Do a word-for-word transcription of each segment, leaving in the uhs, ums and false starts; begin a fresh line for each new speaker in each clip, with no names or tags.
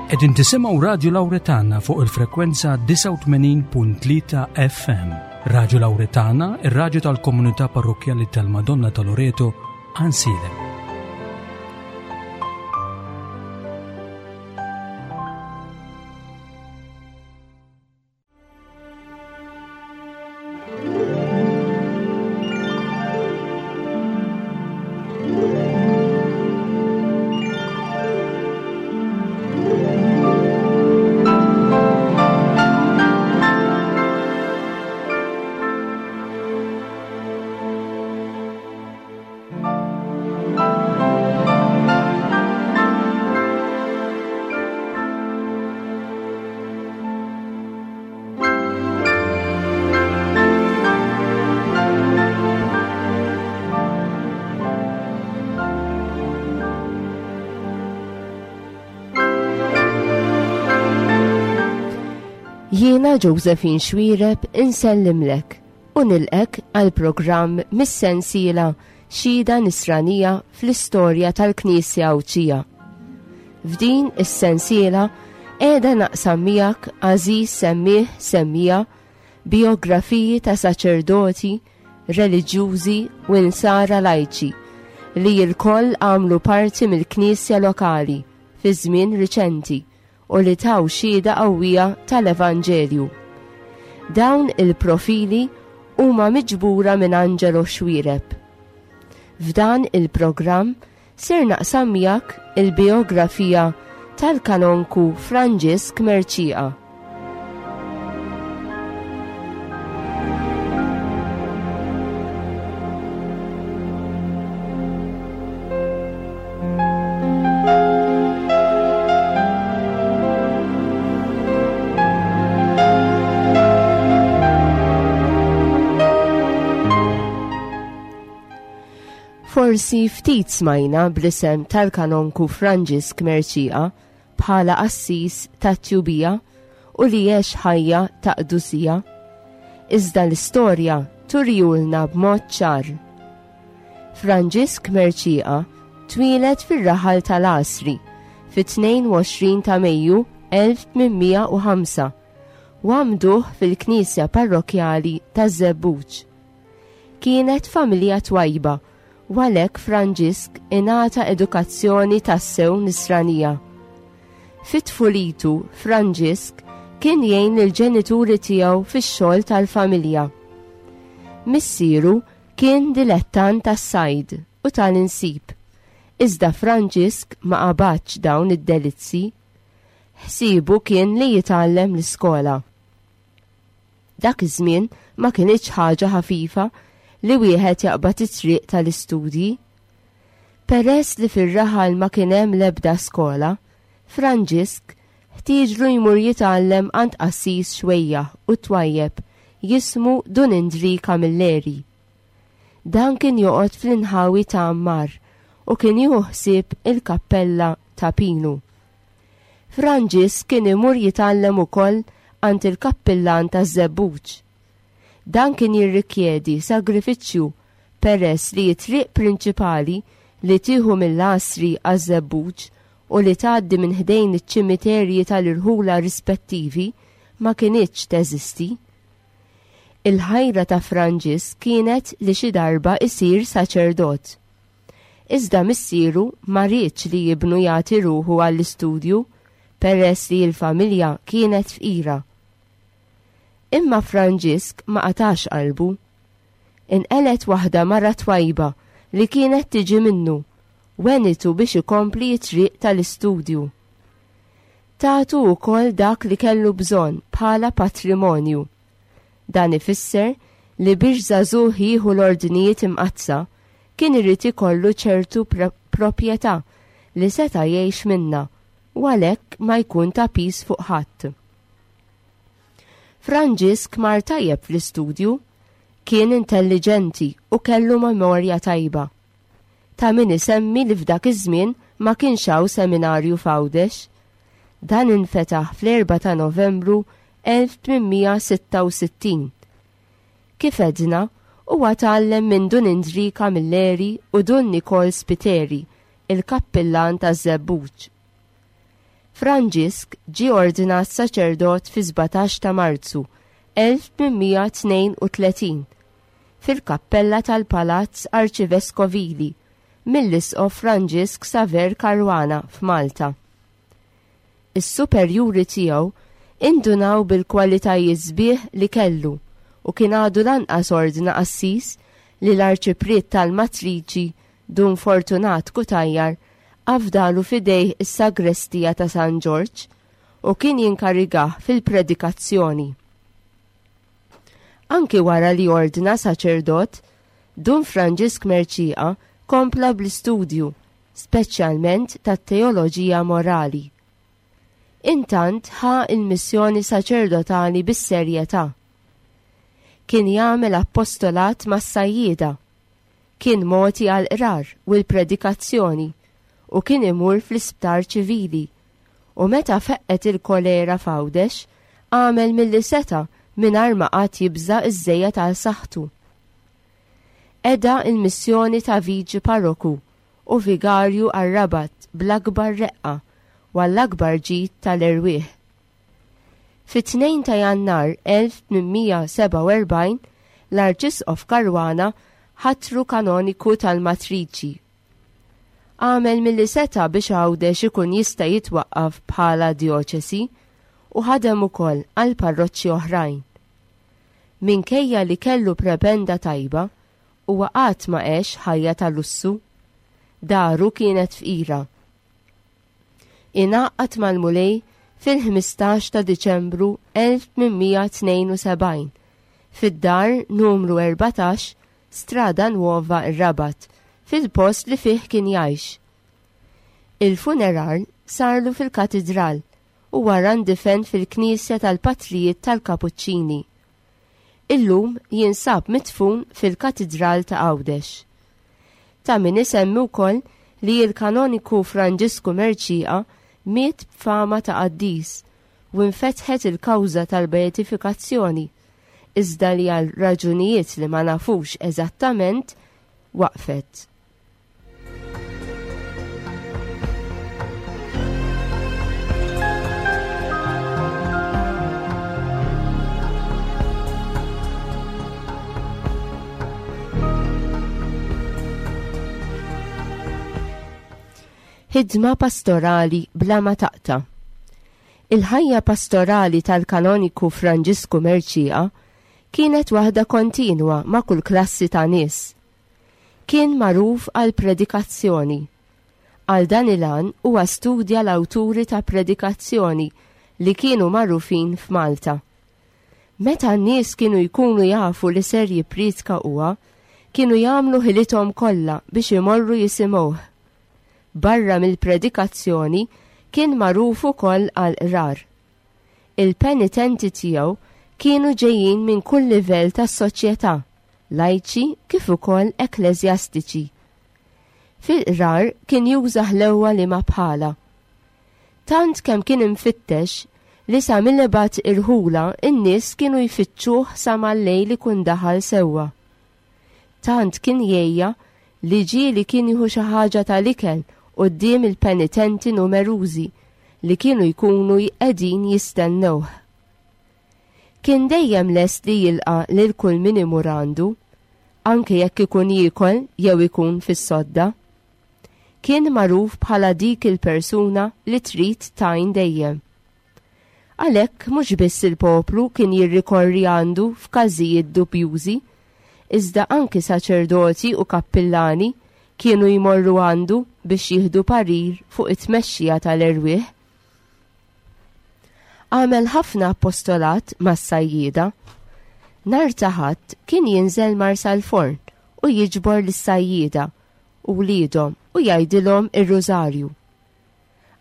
Qegħdin tisimgħu Radju Lawretana fuq il-frekwenza disgħa u tmenin punt tlieta F M. Radju Lawretana, ir-radju tal-komunità parrokkjali tal-Madonna ta' Loreto, Għajnsielem.
Jiena Josephine Xuereb insellimlek u nilqek għal programm mis-sensiela Xhieda Nisranija fl-istorja tal-Knisja Għawdxija. F'din is-sensiela qiegħda naqsam miegħek għażiż semmieħ semmija biografiji ta' saċerdoti, reliġjużi u insara lajċi li lkoll għamlu parti mill-Knisja lokali fi żmien riċenti u li taw xhieda qawwija tal-Evanġelju. Dawn il-profili huma miġbura minn Angelo Xuereb. F'dan il-programm ser naqsam miegħek il-biografija tal-kanonku Franġisk Mercieca. Forsi ftit smajna bl-isem tal-kanonku Franġisk Mercieca bħala qassis tat-tjubija u li għex ħajja ta' qdusija. Iżda l-istorja turjulna b'mod ċar. Franġisk Mercieca twieled fir-raħal tal-Għasri fit-tnejn u għoxrin ta' Mejju elf tmien mija u ħamsa u għamduh fil-Knisja Parrokkjali taż-Żebbuġ. Kienet familja twajba u għalhekk Franġisk ingħata edukazzjoni tassew nisranija. Fit-tfulitu Franġisk kien jgħin lill-ġenituri tiegħu fix-xogħol tal-familja. Missieru kien dilettant tas-sajd u tal-insib, iżda Franġisk ma qabadx dawn id-delizzi. Ħsiebu kien li jitgħallem l-iskola. Dak iż-żmien ma kinitx ħaġa ħafifa li wieħed jaqbad it-triq tal-istudji. Peress li fir-raħal ma kien hemm l-ebda skola, Franġisk ħtieġlu jmur jitgħallem għand qassis xwejjaħ u twajjeb jismu Dun Indri Camilleri. Dan kien joqgħod fl-inħawi ta' Ammar u kien jieħu ħsieb il-kappella ta' Pinu. Franġisk kien imur jitgħallem ukoll għand il-kappillan taż-Żebbuġ. Dan kien jirrikjedi sagrifiċċju peress li t-triq prinċipali li tieħu mill-Għasri għaż-Żebbuġ u li tgħaddi minn ħdejn iċ-ċimiterji tal-irħula rispettivi ma kinitx teżisti. Il-ħajra ta' Franġisk kienet li xi darba isir saċerdot. Iżda missieru ma riedx li jibnu jagħti ruħu għall-istudju peress li l-familja kienet fqira. Imma Franġisk ma qatax qalbu. Inqelet waħda mara twajba li kienet tiġi minnu, wenitu biex ikompli t-triq tal-istudju. Tatu wkoll dak li kellu bżonn bħala patrimonju. Dan ifisser li biex żagħżugħ jieħu l-ordnijiet imqaddsa kien irid ikollu ċertu pro-, proprjetà li seta' jgħix minnha u għalhekk ma jkun ta' piż fuq ħadd. Franġisk mar tajjeb fl-istudju, kien intelligenti u kellu memorja tajba. Ta' min isemmi li f'dak iż-żmien ma kienx hawn seminarju f'Għawdex. Dan infetaħ fl-erba' ta' Novembru elf tmien mija sitta u sittin. Kif edna, huwa tgħallem minn Dun Indri Camilleri u Dun Nikol Spiteri, il-kappillan taż-Żebbuġ. Franġisk ġie ordinat saċerdot fi sbatax ta' Marzu elf tmien mija tnejn u tletin fil-kappella tal-Palazz Arċiveskovili mill-Isqof Franġisk Saver Caruana f'Malta. Is-superjuri tiegħu indunaw bil-kwalitajiet sbieħ li kellu u kien għadu lanqas ordna qassis li l-arċipriet tal-Matriċi Dun Fortunat Cutajar afdalu fidejh is-sagrestija ta' San Ġorġ u kien jinkarigah fil-predikazzjoni. Anki wara li ordna saċerdot, Dun Franġisk Mercieca kompla bl-istudju, speċjalment tat-teoloġija morali. Intant ħa il-missjoni saċerdotali bis-serjetà. Kien jagħmel appostolat mas-sajjieda, kien moti għall-qrar u l-predikazzjoni u kien imur fl-isptar ċivili u meta feqqet il-kolera f'Għawdex għamel milli seta' mingħajr ma qatt jibża' iż-żejjed għal saħħtu. Qeda il-missjoni ta' viċi parroku u vigarju għar-Rabat bl-akbar reqqa u għall-akbar ġid tal-erwieħ. Fit-tnejn ta' Jannar elf tmien mija sebgħa u erbgħin l-Arċisqof Caruana ħatru kanoniku tal-Matriċi. Għamel milli seta' biex Għawdex ikun jista' jitwaqqaf bħala djoċesi u ħadem ukoll għal parroċċi oħrajn. Minkejja li kellu prebenda tajba, huwa qatt ma għex ħajja ta' lussu. Daru kienet fqira. Ingħaqad mal-Mulej fil-ħmistax ta' Diċembru elf tmien mija tnejn u sebgħin fid-dar numru erbatax Strada Nuova ir-Rabat, fil-post li fih kien jgħix. Il-funeral sarlu fil-katedral u wara ndifen fil-Knisja tal-Patrijiet tal-Kapuċċini. Illum jinsab midfun fil-Katedral ta' Għawdex. Ta' min isemmi wkoll li l-kanoniku Franġisku Mercieca miet b'fama ta' qaddis u infetħet il-kawża tal-beatifikazzjoni, iżda li għal raġunijiet li ma nafux eżattament waqfet. Ħidma pastorali bla ma taqta'. Il-ħajja pastorali tal-kanoniku Franġisku Mercieca kienet waħda kontinwa ma' kull klassi ta' nies. Kien magħruf għal predikazzjoni. Għal dan il-għan huwa studja l-awturi ta' predikazzjoni li kienu magħrufin f'Malta. Meta n-nies kienu jkunu jafu li ser jippriedka huwa, kienu jagħmlu ħilithom kollha biex imorru jisimgħuh. Barra mill-predikazzjoni kien magħruf ukoll għal qrar. Il-penitenti tiegħu kienu ġejjin minn kull livell tas-soċjetà, lajċi kif ukoll ekkleżjastiċi. Fil-qrar kien juża ħlewwa li ma bħala. Tant kemm kien imfittex li sa mill-ibgħat irħula n-nies kienu jfittxuh sa mal-lejl ikun daħal sewwa. Tant kien jgħejja li ġieli kien jieħu xi ħaġa tal-ikel quddiem il-penitenti numerużi li kienu jkunu qegħdin jistennewh. Kien dejjem lest li jilqa' lil kull min imur għandu, anke jekk ikun jiekol jew ikun fis-sodda. Kien magħruf bħala dik il-persuna li trid tajn dejjem. Għalhekk mhux biss il-poplu kien jirrikorri għandu f'każijiet dubjużi, iżda anki saċerdoti u kappillani kienu jmorru għandu biex jieħdu parir fuq it-tmexxija tal-erwieħ. Għamel ħafna apostolat mas-sajjieda. Nhar ta' Ħadd kien jinżel Marsalforn u jiġbor lis-sajjieda u wliedhom u jgħidilhom ir-rużarju.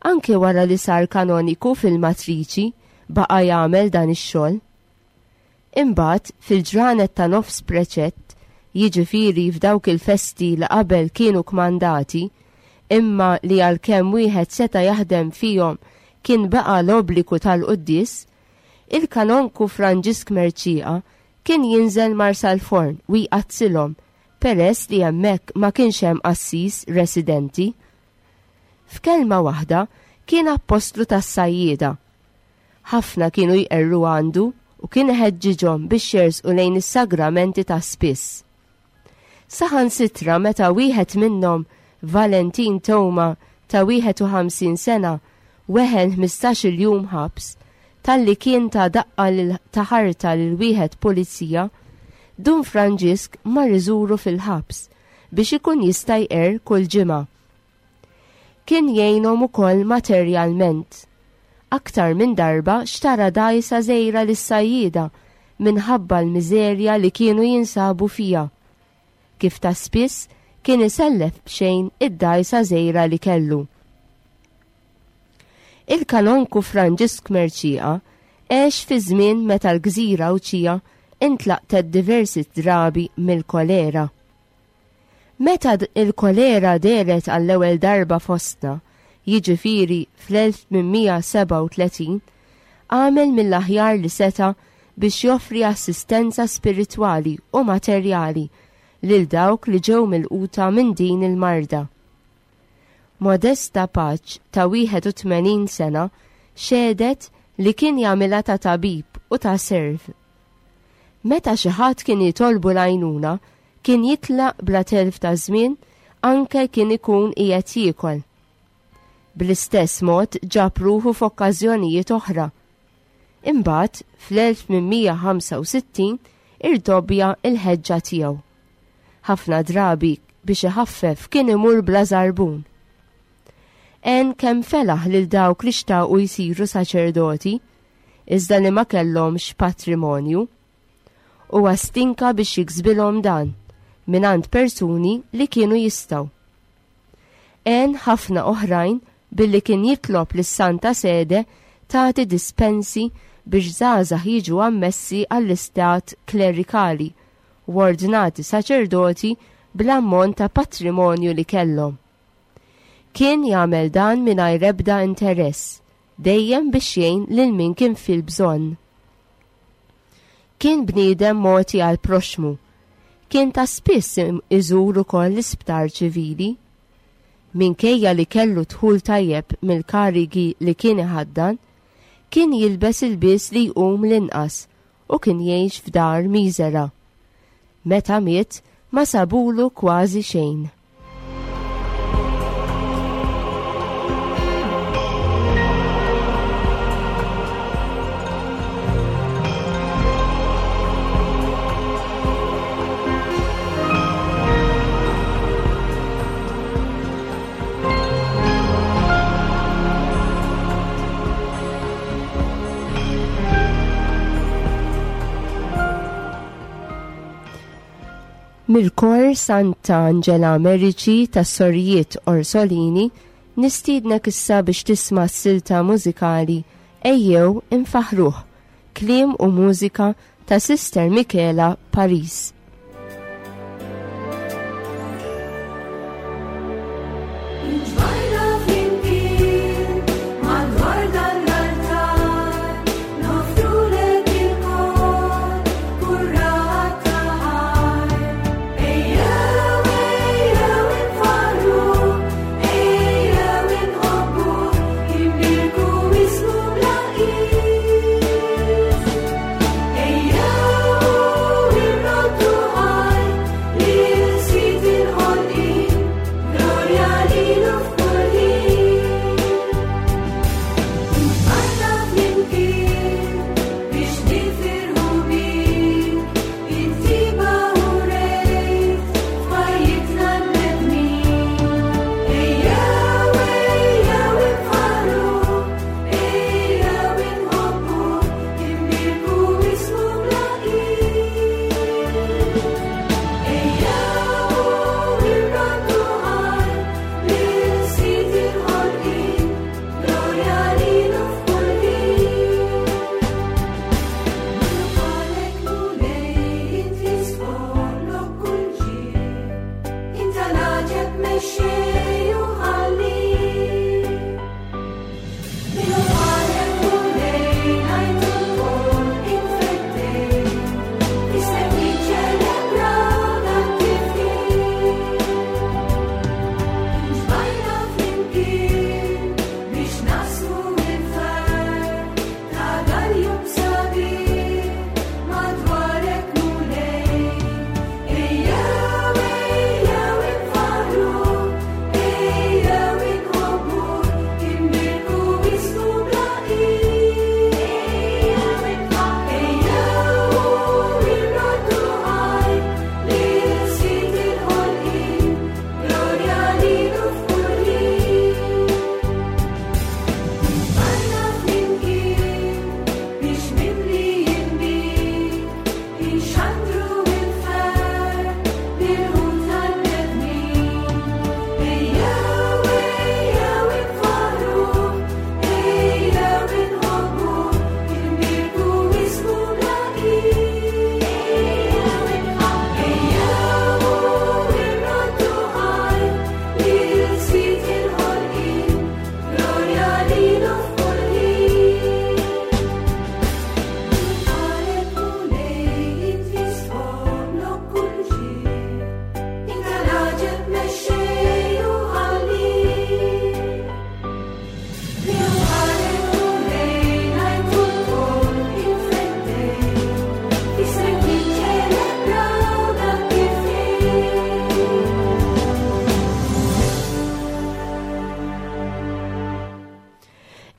Anke wara li sar kanoniku fil-Matriċi baqa' jagħmel dan ix-xogħol. Imbagħad fil-ġranet ta' nofs preċett, jiġifieri f'dawk il-festi li qabel kienu kmandati, imma li għalkemm wieħed seta' jaħdem fihom kien baqa' l-obbligu tal-quddies, il-kanonku Franġisk Mercieca kien jinżel Marsalforn u jqazzilhom peress li hemmhekk ma kienx hemm qassis residenti. F'kelma waħda Kien appostlu tas-sajjieda. Ħafna kienu jqerru għandu u kien iħeġġiġhom biex jersqu lejn is-sagramenti ta' spiss. Saħansitra meta wieħed minnhom, Valentin Toma ta' wieħed u ħamsin sena, weħel ħmistax-il jum ħabs talli kien ta' daqqa lil ta' ħarta lil wieħed pulizija, Dun Franġisk mar iżuru fil-ħabs biex ikun jista' jqerr kull ġimgħa. Kien jgħinhom ukoll materjalment. Aktar minn darba xtara dgħajsa żgħira lis-sajjieda minħabba l-miżerja li kienu jinsabu fiha. Kif ta' spiss kien isellef b'xejn id-dgħajsa żgħira li kellu. Il-kanonku Franġisk Mercieca għex fi żmien meta l-gżira Għawdxija intlaqtet diversi drabi mill-kolera. Meta il-kolera dehret għall-ewwel darba fostna, jiġifieri fl-elf tmien mija sebgħa u tletin, għamel mill-aħjar li seta' biex joffri assistenza spiritwali u materjali lil dawk li ġew milquta minn din il-marda. Modesta Paċ ta' wieħed u tmenin sena xehdet li kien jagħmilha ta' tabib u ta' serv. Meta xi ħadd kien jitolbu l-għajnuna, kien jitlaq bla telf ta' żmien anke kien ikun qiegħed jiekol. Bl-istess mod ġab ruħu f'okkażjonijiet oħra. Imbagħad fl-elf tmien mija ħamsa u sittin irdobbja l-ħeġġa tiegħu. Ħafna drabi biex iħaffef kien imur bla żarbun. Għen kemm felaħ lil dawk li xtaqu jsiru saċerdoti, iżda li ma kellhomx patrimonju, u stinka biex jiksbilhom dan mingħand persuni li kienu jistgħu. Għen ħafna oħrajn billi kien jitlob lis-Santa Sede tagħti dispensi biex żgħażagħ jiġu ammessi għall-istat klerikali u ordnati saċerdoti bl-ammont ta' patrimonju li kellhom. Kien jagħmel dan mingħajr ebda interess, dejjem biex jgħin lil min kien fil-bżonn. Kien bniedem mogħti għal proxmu. Kien ta' spiss iżur ukoll l-isptar ċivili. Minkejja li kellu dħul tajjeb mill-karigi li kien iħaddan, kien jilbes il-bies li jqum l-inqas u kien jgħix f'dar miżera. Meta miet, ma sabulu kważi xejn. Mill-kor Santa Angela Merici tas-Sorijiet Orsolini nistiednek issa biex tisma' s-silta mużikali Ejjew Infaħruh, kliem u mużika ta' Sister Michela Paris.
Ejjew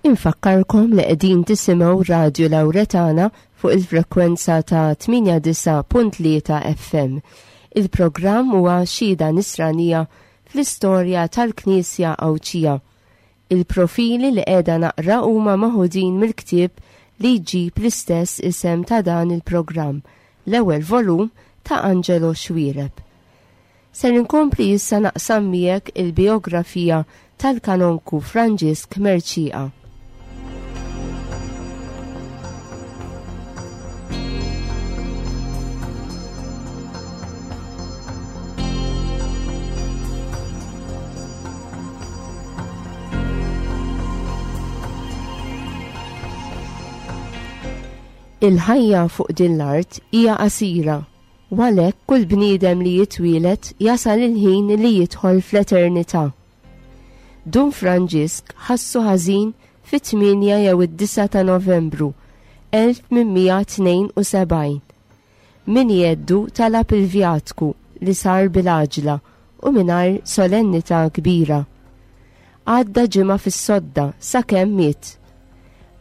Infakkarkom li qegħdin tisimgħu Radju Lawretana fuq il-frekwenza ta' tmienja disa' punt tlieta F M. Il-programm huwa Xhieda Nisranija fl-istorja tal-Knisja Għawdxija. Il-profili li qiegħda naqra huma maħudin mill-ktieb li jġib l-istess isem ta' dan il-programm, l-ewwel volum ta' Angelo Xuereb. Ser inkompli issa naqsam miegħek il-biografija tal-kanonku Franġisk Mercieca. Il-ħajja fuq din l-art hija qasira, u għalhekk kull bniedem li jitwielet jasal il-ħin li jidħol fl-eternità. Dun Franġisk ħassu ħażin fit-tmienja jew id-disa ta' Novembru elf tmien tnejn u sebgħin. Min jeddu talab il-vjatku li sar bil-għaġla u mingħajr solennità kbira. Għadda ġimgħa fis-sodda sakemm miet.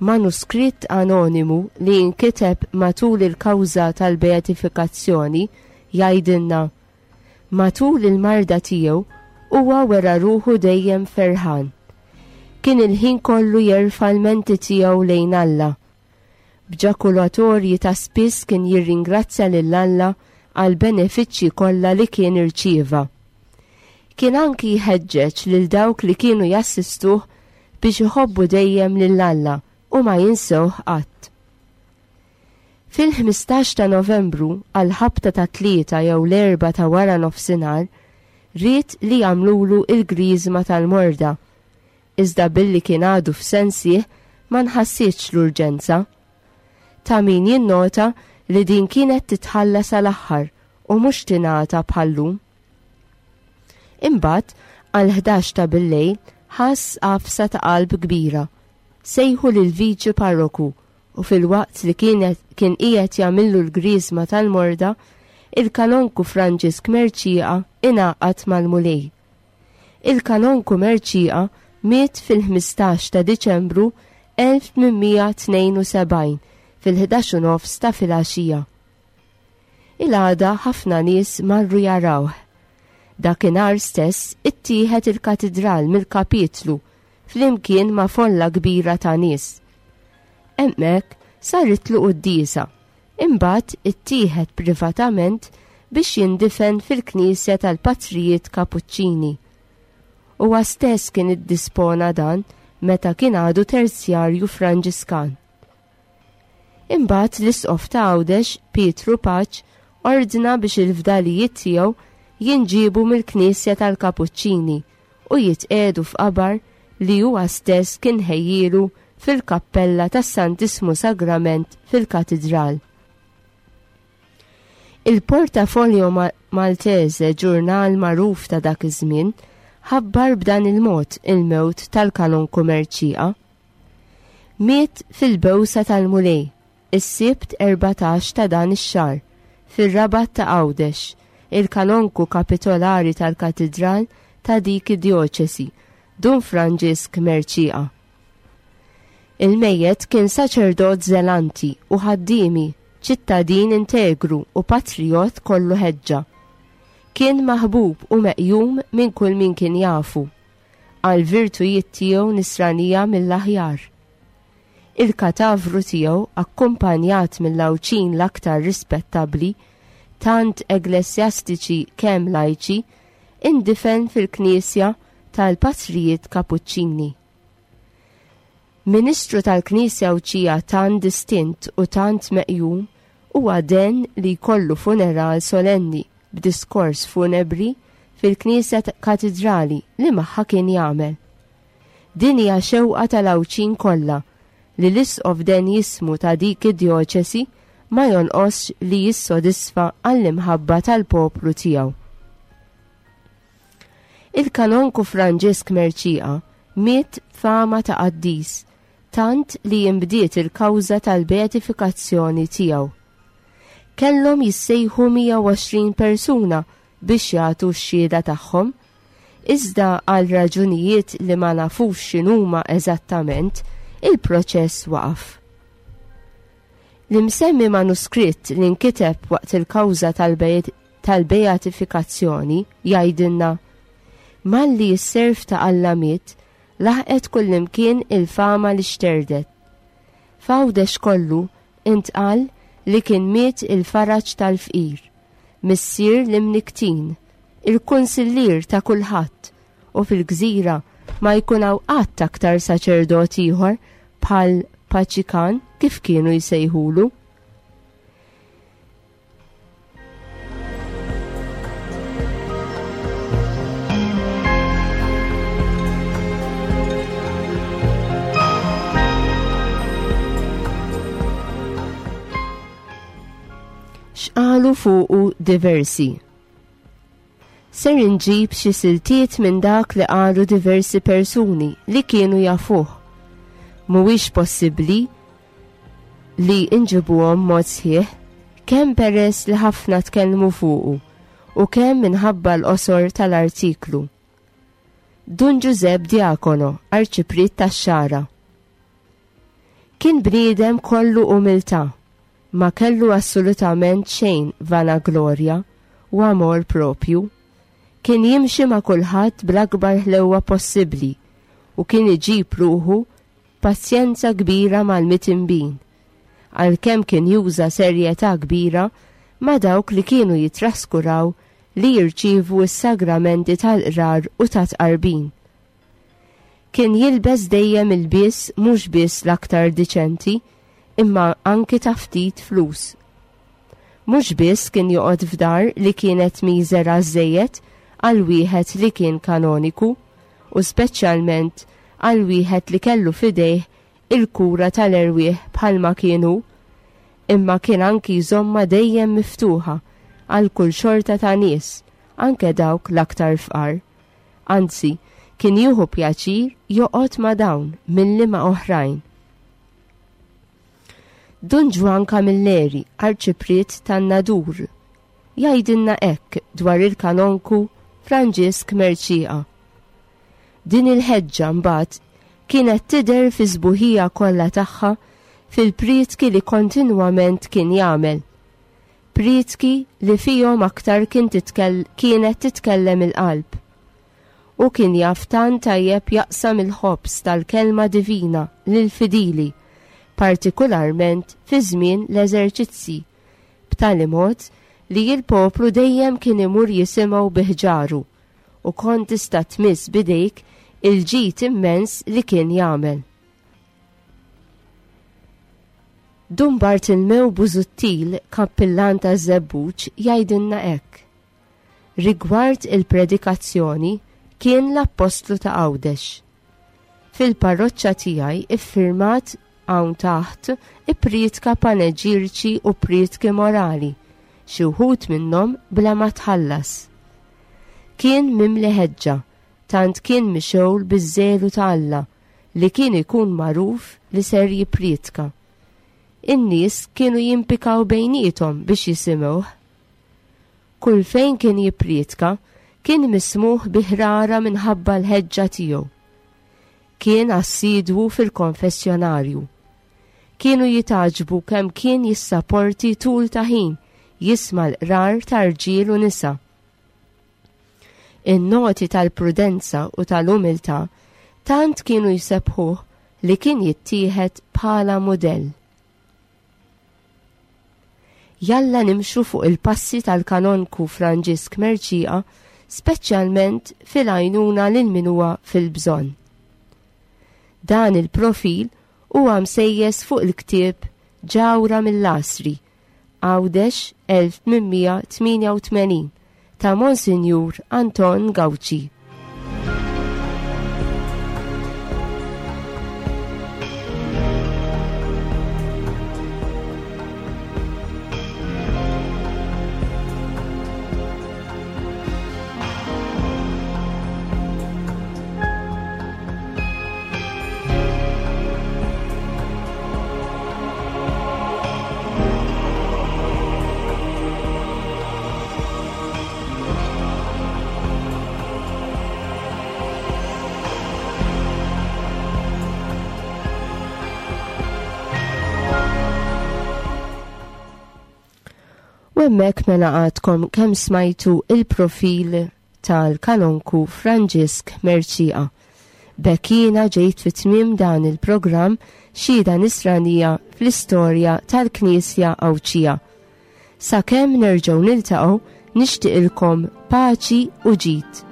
Manuskritt anonimu li jinkiteb matul il-kawża tal-beatifikazzjoni jgħidilna: matul il-marda tiegħu huwa wera ruħu dejjem ferħan. Kien il-ħin kollu jerfa' l-menti tiegħu lejn Alla. B'ġakulatorji ta' spiss kien jirringrazzja lil Alla għal benefiċċji kollha li kien irċieva. Kien anki jħeġġeġ lil dawk li kienu jassistuh biex iħobbu dejjem lil Alla u ma jinsewh qatt. Fil-ħmistax ta' Novembru għal ħabta ta' tlieta jew l-erba' ta' wara nofsinhar ried li jagħmlulu il-griżma tal-morda. Iżda billi kien għadu f'sensih ma nħassitx l-urġenza. Ta' min jinnota li din kienet titħalla sal-aħħar u mhux tingħata bħallum. Imbagħad għal ħdax ta' billejl ħass għafsa ta' qalb kbira. Sejħu lil viċi parroku u fil-waqt li kienet, kien qiegħed jagħmillu l-griżma tal-morda, il-kanonku Franġisk Mercieca ingħaqad mal-Mulej. Il-kanonku Mercieca miet fil-ħmistax ta' Diċembru elf tmien tnejn u sebgħin fil-ħdax u nofs ta' filgħaxija. Il-għada ħafna nies marru jarawh. Dakinhar stess ittieħed il-katidral mill-kapitlu flimkien ma' folla kbira ta' nies. Hemmhekk saritlu quddiesa, imbagħad ittieħed privatament biex jindifen fil-knisja tal-Patrijiet Kapuċċini. Huwa stess kien iddispona dan meta kien għadu terzjarju Franġiskan. Imbagħad l-Isqof ta' Għawdex, Pietru Pace, ordna biex il-fdalijiet tiegħu jinġiebu mill-knisja tal-Kapuċċini u jitqiegħdu f'qabar li huwa stess kien ħejjielu fil-kappella tas-Santissmu Sagrament fil-Katidral. Il-Portafolio Ma-, Maltese, ġurnal magħruf ta' dak iż-żmien, ħabbar b'dan il-mod il-mewt tal-kanonku Mercieca. Miet fil-bewsa tal-Mulej, is-Sibt erbatax ta' dan ix-xahar, fir-Rabat ta' Għawdex, il-kanonku kapitolari tal-Katidral ta' dik id-djoċesi, Dun Franġisk Mercieca. Il-mejjet kien saċerdot zelanti u ħaddiemi, ċittadin integru u patriot kollu ħeġġa. Kien maħbub u meqjum minn kull min kien jafu, għal virtujiet tiegħu nisranija mill-aħjar. Il-katavru tiegħu, akkumpanjat mill-Għawdxin l-aktar rispettabbli, tant eklesjastiċi kemm lajċi, indifen fil-Knisja tal-Patrijiet Kapuċċini. Ministru tal-Knisja Għawdxija tant distint u tant meqjum huwa den li jkollu funeral solenni b'diskors funebri fil-Knisja Katidrali li magħha kien jagħmel. Din hija xewqa tal-Għawdxin kollha li l-Isqof den jismu ta' dik id-djoċesi ma jonqosx li jissodisfa għall-imħabba tal-poplu tiegħu. Il-kanonku Franġisk Mercieca miet fama ta' qaddis, tant li jimbdiet il-kawża tal-beatifikazzjoni tiegħu. Kellhom jissejħu mija u għoxrin persuna biex jagħtu x-xhieda tagħhom, iżda għal raġunijiet li ma nafux x'inhuma eżattament, il-proċess waqaf. L-imsemmi manuskritt li nkiteb waqt il-kawża tal-beatifikazzjoni jgħidilna: malli s-serv ta' Alla miet, laħqet kullimkien il-fama li xterdet. F'Għawdex kollu intqal li kien miet il-faraġ tal-fqir, missier l-imniktin, il-kunsillier ta' kulħadd, u fil-gżira ma jkun hawn qatt aktar saċerdot ieħor bħal Paċikan kif kienu jsejħulu. X'qalu fuqu diversi. Ser inġib xi siltiet minn dak li qalu diversi persuni li kienu jafuh. Mhuwiex possibbli li nġibuhom mod sħiħ, kemm peress li ħafna tkellmu fuqu u kemm minħabba l-qosor tal-artiklu. Dun Ġużepp Diacono, arċipriet tax-Xagħra. Kien bniedem kollu umiltà, ma kellu assolutament xejn vanaglorja u amor propju. Kien jimxi ma' kulħadd bl-akbar ħlewwa possibbli u kien iġib ruħu pazjenza kbira mal-mitinbin, għalkemm kien juża serjetà kbira ma' dawk li kienu jitraskuraw li jirċievu s-sagramenti tal-qrar u tat-tqarbin. Kien jilbes dejjem il-bies mhux biss l-aktar diċenti, imma anki ta' ftit flus. Mhux biss kien joqgħod f'dar li kienet miżera żejjed għal wieħed li kien kanoniku, u speċjalment għal wieħed li kellu f'idejh il-kura tal-erwieħ bħalma kienu, imma kien anki jżomma dejjem miftuħa għal kull xorta ta' nies, anke dawk l-aktar fqar. Anzi, kien jieħu pjaċir joqgħod ma' dawn milli ma' oħrajn. Dun Ġwann Camilleri, arċipriet tan-Nadur, jgħidilna hekk dwar il-kanonku Franġisk Mercieca. Din il-ħeġġa mbagħad kienet tidher fi sbuħija kollha tagħha fil-prietki li kontinwament kien jagħmel. Prietki li fihom aktar kien titkell-, kienet titkellem il-qalb. U kien jaf tant tajjeb jaqsam il-ħobż tal-kelma divina lill-fidili, partikolarment fi żmien l-eżerċizzi, b'tali mod li l-poplu dejjem kien imur jisimgħu biħġaru u kont tista' tmiss bidejk il-ġid immens li kien jagħmel. Dun Bartilmew Busuttil, kappillan ta' Żebbuġ, jgħidilna hekk. Rigward il-predikazzjoni kien l-appostlu ta' Għawdex. Fil-parroċċa tiegħi iffirmat hawn taħt ipprietka paneġirċi u prietki morali, xi wħud minnhom bla ma tħallas. Kien mimli ħeġġa, tant kien mixgħul biż-żelu ta' Alla li kien ikun magħruf li ser jipprietka. In-nies kienu jimpikaw bejniethom biex jisimgħuh. Kull fejn kien jipprietka kien mismuh bi ħrara minħabba l-ħeġġa tiegħu. Kien assidwu fil-konfessjonarju. Kienu jitaġbu kemm kien jissaporti tul ta' ħin jisma' l-qrar ta' rġiel u nisa. In-noti tal-prudenza u tal-umiltà tant kienu jsebħuh li kien jittieħed bħala mudell. Jalla nimxu fuq il-passi tal-kanonku Franġisk Mercieca, speċjalment fil-għajnuna lil min huwa fil-bżonn. Dan il-profil huwa msejjes fuq il-ktieb Ġawhra mill-Għasri, Għawdex elf tmien mija tmienja u tmenin ta' Monsinjur Anton Gauci. U hemmhekk mela għadkom kemm smajtu il-profil tal-kanonku Franġisk Mercieca. B'hekk jiena ġejt fi tmiem dan il-programm Xhieda Nisranija fl-istorja tal-Knisja Għawdxija. Sakemm nerġgħu niltaqgħu, nixtieqilkom paċi u ġid.